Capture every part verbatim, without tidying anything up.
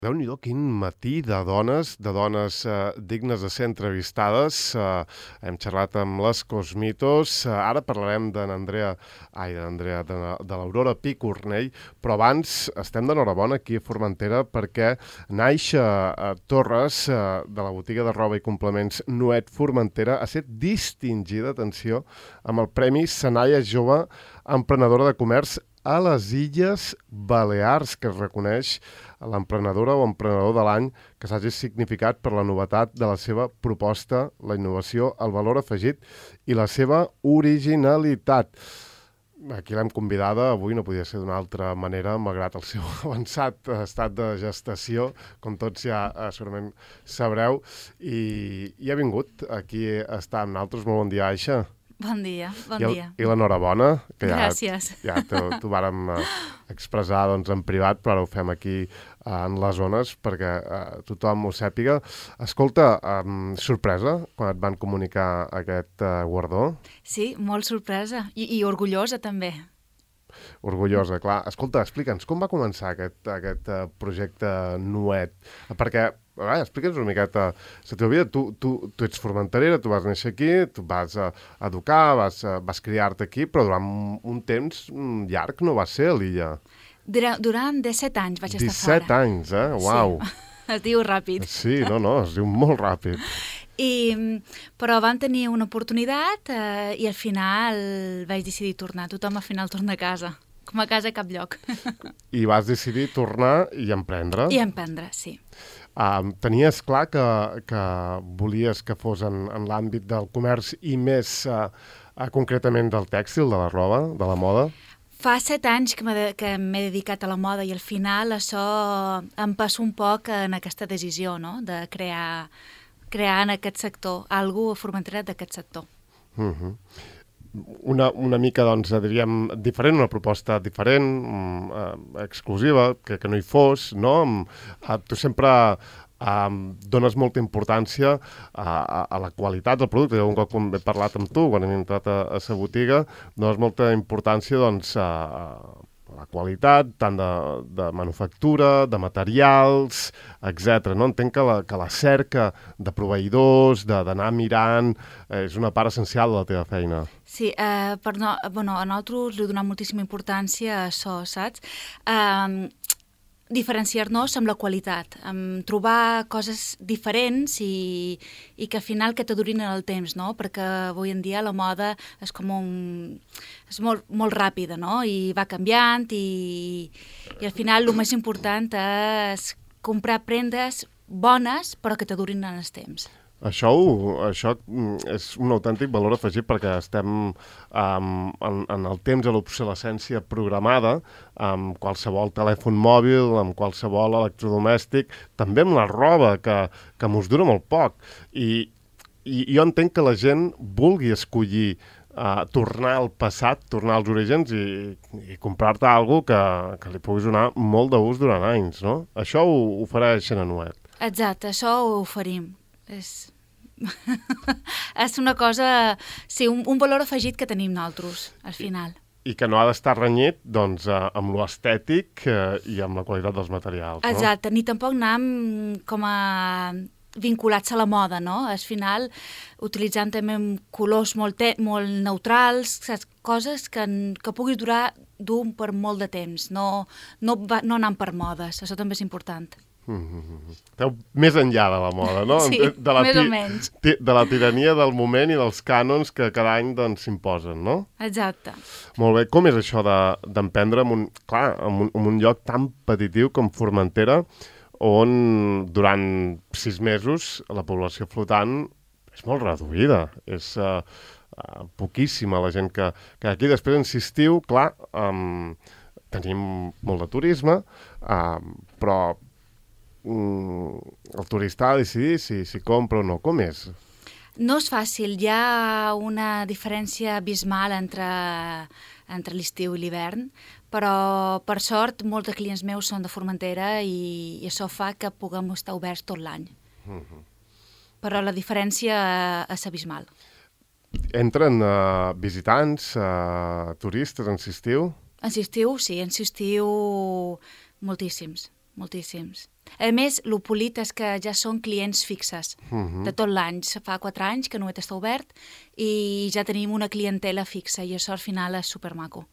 Déu-n'hi-do, quin matí de dones, de dones eh, dignes de ser entrevistades. Eh, hem xerrat amb les Cosmitos, eh, ara parlarem de n'Andrea, ai, de n'Andrea, de, de l'Aurora Picornell, però abans estem d'enhorabona aquí a Formentera perquè Naixa eh, Torres, eh, de la botiga de roba i complements Nuet Formentera, ha estat distingida, atenció, amb el Premi Senaia Jove Emprenedora de Comerç a les Illes Balears, que es reconeix a l'emprenedora o emprenedor de l'any que s'hagi significat per la novetat de la seva proposta, la innovació, el valor afegit i la seva originalitat. Aquí l'hem convidada, avui no podia ser d'una altra manera, malgrat el seu avançat estat de gestació, com tots ja eh, segurament sabreu, i, i ha vingut aquí a estar amb nosaltres. Molt bon dia, Aixa. Bon dia, bon I el, dia. I l'enhorabona, que ja, Gràcies. ja t'ho vàrem eh, expressar doncs, en privat, però ara ho fem aquí eh, en les zones perquè eh, tothom ho sàpiga. Escolta, eh, sorpresa quan et van comunicar aquest eh, guardó? Sí, molt sorpresa i, i orgullosa també. Orgullosa, clar. Escolta, explica'ns, com va començar aquest, aquest uh, projecte Nuet? Perquè, a veure, explica'ns una miqueta la teva vida. Tu, tu, tu ets formenterera, tu vas néixer aquí, tu vas uh, educar, vas, uh, vas criar-te aquí, però durant un, un temps um, llarg no vas ser a l'illa. Durant, durant disset anys vaig estar disset fora. anys, eh? Uau! Sí. Es diu ràpid. Sí, no, no, es diu molt ràpid. I, però vam tenir una oportunitat eh, i al final vaig decidir tornar. Tothom al final torna a casa. Com a casa a cap lloc. I vas decidir tornar i emprendre? I emprendre, sí. Uh, tenies clar que, que volies que fos en, en l'àmbit del comerç i més uh, uh, concretament del tèxtil, de la roba, de la moda? Fa set anys que m'he de, que m'he dedicat a la moda i al final això em passa un poc en aquesta decisió, no?, de crear, crear en aquest sector, algú a Formentera d'aquest sector. Uh-huh. Una, una mica, doncs, diríem, diferent, una proposta diferent, eh, exclusiva, que, que no hi fos, no? Eh, tu sempre eh, dones molta importància a, a, a la qualitat del producte. Un cop he parlat amb tu, quan hem entrat a la botiga, dones molta importància, doncs, a, a la qualitat, tant de, de manufactura, de materials, etcètera. No? Entenc que la, que la cerca de proveïdors, d'anar mirant, eh, és una part essencial de la teva feina. Sí, eh, per no, bueno, a nosaltres li donem moltíssima importància a això, saps? Eh, diferenciar-nos amb la qualitat, amb trobar coses diferents i, i que al final que t'adurin en el temps, no? Perquè avui en dia la moda és com un... és molt, molt ràpida, no? I va canviant i, i al final el més important és comprar prendes bones però que t'adurin en el temps. Això, això és un autèntic valor afegit perquè estem um, en, en el temps de l'obsolescència programada amb qualsevol telèfon mòbil, amb qualsevol electrodomèstic, també amb la roba, que, que mos dura molt poc. I, i jo entenc que la gent vulgui escollir uh, tornar al passat, tornar als orígens i, i comprar-te alguna cosa que, que li puguis donar molt d'ús durant anys, no? Això ho, ho farà Xenanuet. Exacte, això ho oferim. És... és una cosa... Sí, un, un valor afegit que tenim nosaltres, al final. I, i que no ha d'estar renyit, doncs, eh, amb l'estètic eh, i amb la qualitat dels materials, no? Exacte, ni tampoc anem com a vinculats a la moda, no? Al final, utilitzant també colors molt, te molt neutrals, saps? Coses que, que puguis durar d'un per molt de temps, no, no, va, no anant per modes, això també és important. Mm-hmm. Esteu més enllà de la moda, no? Sí, de la més o menys. De la tirania del moment i dels cànons que cada any doncs, s'imposen, no? Exacte. Molt bé. Com és això d'emprendre de, en un, clar, en un, en un lloc tan petitiu com Formentera, on durant sis mesos la població flotant és molt reduïda, és uh, uh, poquíssima la gent que, que aquí després insistiu, clar, um, tenim molt de turisme, uh, però el turista ha de decidir si, si compra o no. Com és? No és fàcil. Hi ha una diferència abismal entre, entre l'estiu i l'hivern, però per sort molts de clients meus són de Formentera i, i això fa que puguem estar oberts tot l'any. Uh-huh. Però la diferència és abismal. Entren uh, visitants, uh, turistes en estiu? En estiu, sí, en estiu moltíssims, moltíssims. A més, el polit és que ja són clients fixes Uh-huh. de tot l'any. Fa quatre anys que Nuet està obert i ja tenim una clientela fixa i això al final és supermaco.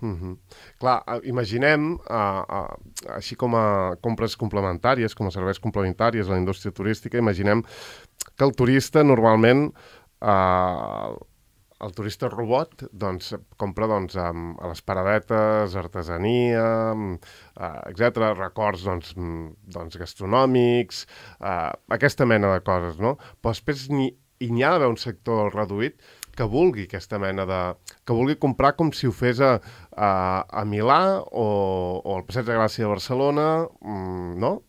Uh-huh. Clar, eh, imaginem, uh, uh, així com a compres complementàries, com a serveis complementaris a la indústria turística, imaginem que el turista normalment, uh, el turista robot, doncs, compra doncs, um, a les paradetes, artesania, um, uh, etcètera, records doncs, mm, doncs, gastronòmics, uh, aquesta mena de coses, no? Però després n'hi, i n'hi ha d'haver un sector reduït que vulgui aquesta mena de... que vulgui comprar com si ho fes a, a, a Milà o, o al Passeig de Gràcia de Barcelona, mm, no?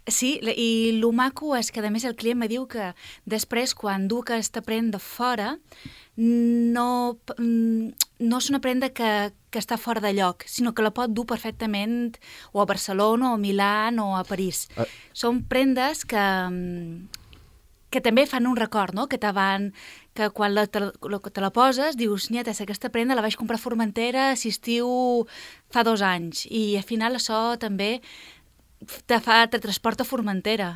Sí, i el maco és que, a més, el client me diu que després, quan du aquesta prenda fora, no, no és una prenda que, que està fora de lloc, sinó que la pot dur perfectament o a Barcelona, o a Milà, o a París. Uh. Són prendes que... que també fan un record, no? Que te van, que quan la, te, te la poses dius, nieta, aquesta prenda la vaig comprar a Formentera si estiu fa dos anys, i al final això també te fa, te transporta a Formentera,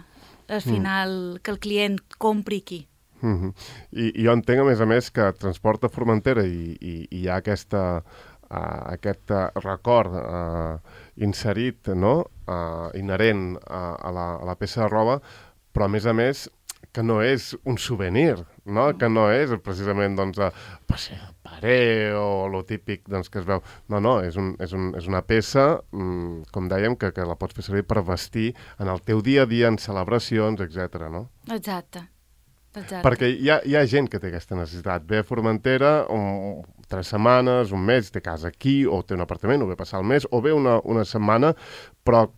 al final, mm. que el client compri aquí. Mm-hmm. I, I jo entenc, a més a més, que transporta a Formentera i, i, i hi ha aquesta, uh, aquest uh, record uh, inserit, no? Uh, inherent uh, a, la, a la peça de roba, però a més a més que no és un souvenir, no? Que no és precisament doncs, a, paré o lo típic doncs, que es veu. No, no, és, un, és, un, és una peça, mmm, com dèiem, que, que la pots fer servir per vestir en el teu dia a dia, en celebracions, etcètera, no? Exacte. Exacte. Perquè hi ha, hi ha gent que té aquesta necessitat. Ve a Formentera un, tres setmanes, un mes, té casa aquí, o té un apartament, o ve passar el mes, o ve una, una setmana, però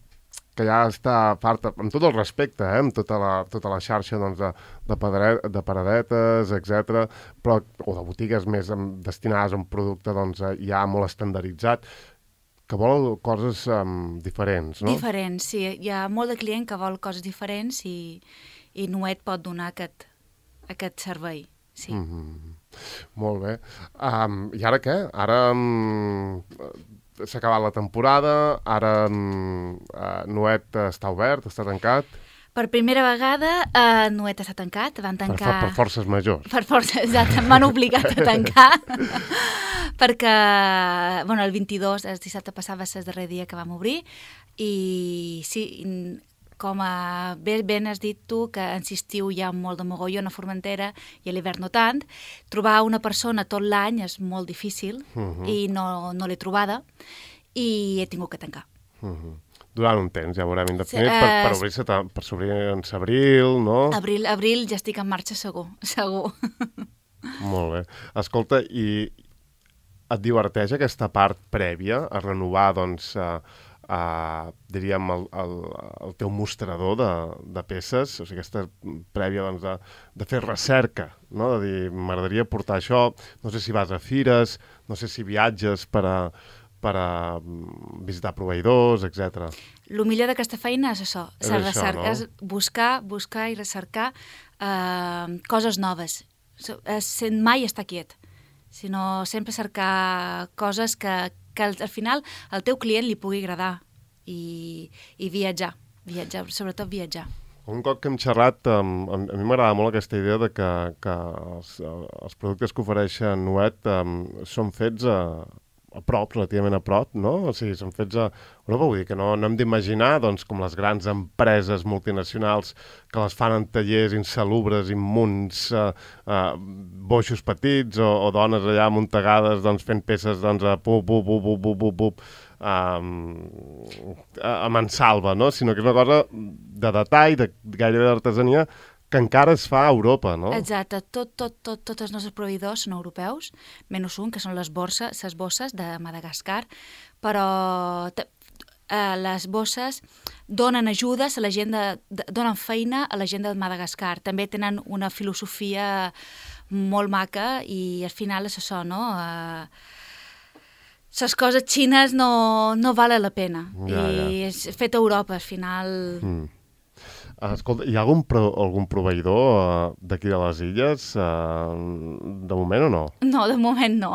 que ja està farta, amb tot el respecte, eh, amb tota la, tota la xarxa doncs, de, de, padre, de paradetes, etcètera, però, o de botigues més destinades a un producte doncs, ja molt estandarditzat, que vol coses um, diferents, no? Diferents, sí. Hi ha molt de client que vol coses diferents i, i Nuet pot donar aquest, aquest servei, sí. Mm-hmm. Molt bé. Um, I ara què? Ara... Um, s'ha acabat la temporada, ara uh, Nuet està obert, està tancat. Per primera vegada, uh, Nuet està tancat. Van tancar... Per, per forces majors. Per forces, exacte. M'han obligat a tancar. Perquè, bueno, el vint-i-dos, el dissabte passat, va ser el darrer dia que vam obrir. I sí, com a, bé, ben has dit tu, que en estiu hi ha molt de mogollon a Formentera i a l'hivern no tant, trobar una persona tot l'any és molt difícil uh-huh. i no, no l'he trobada i he tingut que tancar. Uh-huh. Durant un temps, ja veurem indefinit, sí, per, per obrir-se per s'obrir en abril, no? Abril, abril ja estic en marxa segur, segur. Molt bé. Escolta, i et diverteix aquesta part prèvia a renovar, doncs, uh, uh, diríem, el, el, el teu mostrador de, de peces, o sigui, aquesta prèvia, doncs, de, de fer recerca, no? De dir, m'agradaria portar això, no sé si vas a fires, no sé si viatges per a, per a visitar proveïdors, etcètera. El millor d'aquesta feina és això, és, això, recerca, no? és buscar, buscar i recercar uh, coses noves, sent mai estar quiet, sinó sempre cercar coses que, que al, al final al teu client li pugui agradar i, i viatjar, viatjar, sobretot viatjar. Un cop que hem xerrat, um, a, a mi m'agrada molt aquesta idea de que, que els, els productes que ofereixen Nuet um, són fets a, a prop, relativament a prop, no? O sigui, són fets a Europa, vull dir que no, no hem d'imaginar, doncs, com les grans empreses multinacionals que les fan en tallers insalubres, immunds, uh, uh, boixos petits o, o dones allà amuntegades, doncs, fent peces, doncs, a pup, pup, pup, pup, pup, pup, pup, um, a, a mansalva, no? Sinó que és una cosa de detall, de gairebé d'artesania, que encara es fa a Europa, no? Exacte. Tot, tot, tot, tots els nostres proveïdors són europeus, menys un, que són les borses, les bosses de Madagascar, però eh, les bosses donen ajudes a la gent de, de, donen feina a la gent de Madagascar. També tenen una filosofia molt maca i al final és això, no? Eh, les coses xines no, no valen la pena. Ja, I ja. És fet a Europa, al final... Mm. Escolta, hi ha algun, pro, algun proveïdor uh, d'aquí de les illes? Uh, de moment o no? No, de moment no.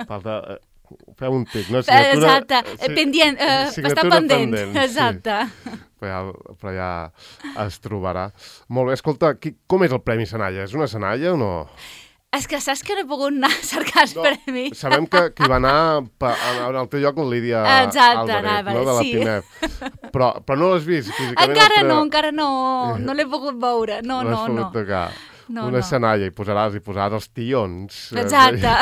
Falta, uh, feu un tic, no? Signatura, Exacte, sí, pendient, uh, està pendent. pendent. Exacte. Sí. Però, ja, però ja es trobarà. Molt bé, escolta, qui, com és el Premi Senalla? És una senalla o no? És que saps que no he pogut anar a cercar els no, premis. Sabem que, que hi va anar pa, al teu lloc la Lídia Exacte, Álvarez, anava, no? De la sí. Pimep. Però, però no l'has vist físicament? Encara no, encara no, no l'he pogut veure. No, no, no, no. Tocar. No, una no. senalla i posaràs, i posaràs els tions. Exacte.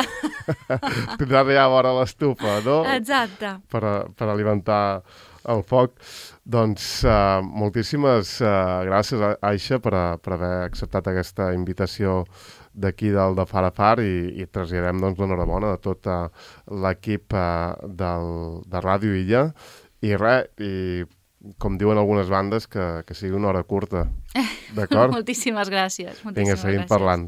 Tindràs ja a vora l'estufa, no? Exacte. Per, per alimentar el foc. Doncs uh, moltíssimes uh, gràcies, Aixa, per, a, per haver acceptat aquesta invitació d'aquí del de Far a Far i, i traslladem doncs, l'enhorabona de tot uh, l'equip uh, del, de Ràdio Illa. I res, i com diuen algunes bandes, que, que sigui una hora curta. D'acord? Moltíssimes gràcies. Moltíssimes Vinga, seguim gràcies. parlant.